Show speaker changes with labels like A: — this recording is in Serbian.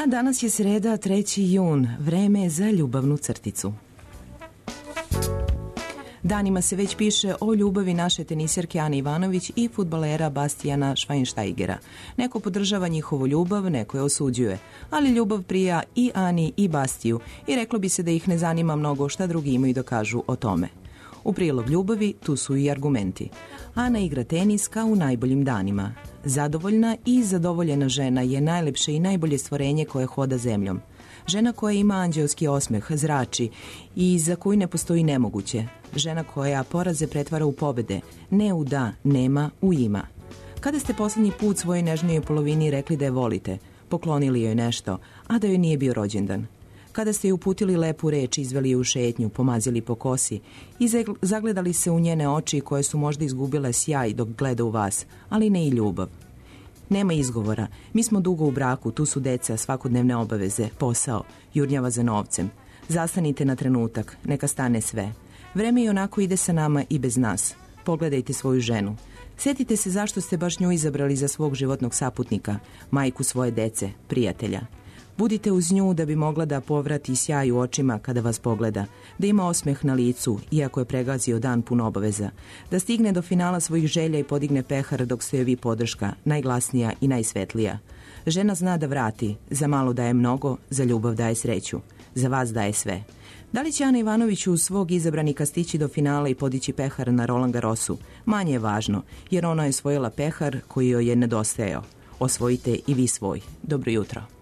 A: A danas je sreda, 3. jun, vreme je za ljubavnu crticu. Danima se već piše o ljubavi naše teniserke Ane Ivanović i fudbalera Bastijana Schweinsteigera. Neko podržava njihovu ljubav, neko je osuđuje, ali ljubav prija i Ani i Bastiju i reklo bi se da ih ne zanima mnogo šta drugi imaju da kažu o tome. U prilog ljubavi tu su i argumenti. Ana igra tenis kao u najboljim danima. Zadovoljna i zadovoljena žena je najlepše i najbolje stvorenje koje hoda zemljom. Žena koja ima anđelski osmeh, zrači i za koju ne postoji nemoguće. Žena koja poraze pretvara u pobede, ne u da, nema, u ima. Kada ste poslednji put svojoj nežnijoj polovini rekli da je volite, poklonili joj nešto, a da joj nije bio rođendan? Kada ste joj uputili lepu reč, izveli je u šetnju, pomazili po kosi i zagledali se u njene oči koje su možda izgubile sjaj dok gleda u vas, ali ne i ljubav. Nema izgovora, mi smo dugo u braku, tu su deca, svakodnevne obaveze, posao, jurnjava za novcem. Zastanite na trenutak, neka stane sve. Vreme i onako ide sa nama i bez nas. Pogledajte svoju ženu. Sjetite se zašto ste baš nju izabrali za svog životnog saputnika, majku svoje dece, prijatelja. Budite uz nju da bi mogla da povrati sjaj u očima kada vas pogleda, da ima osmeh na licu, iako je pregazio dan pun obaveza, da stigne do finala svojih želja i podigne pehar dok ste joj vi podrška, najglasnija i najsvetlija. Žena zna da vrati, za malo daje mnogo, za ljubav daje sreću, za vas daje sve. Da li će Ana Ivanović uz svog izabranika stići do finala i podići pehar na Roland Garrosu? Manje je važno, jer ona je osvojila pehar koji joj je nedostajao. Osvojite i vi svoj. Dobro jutro.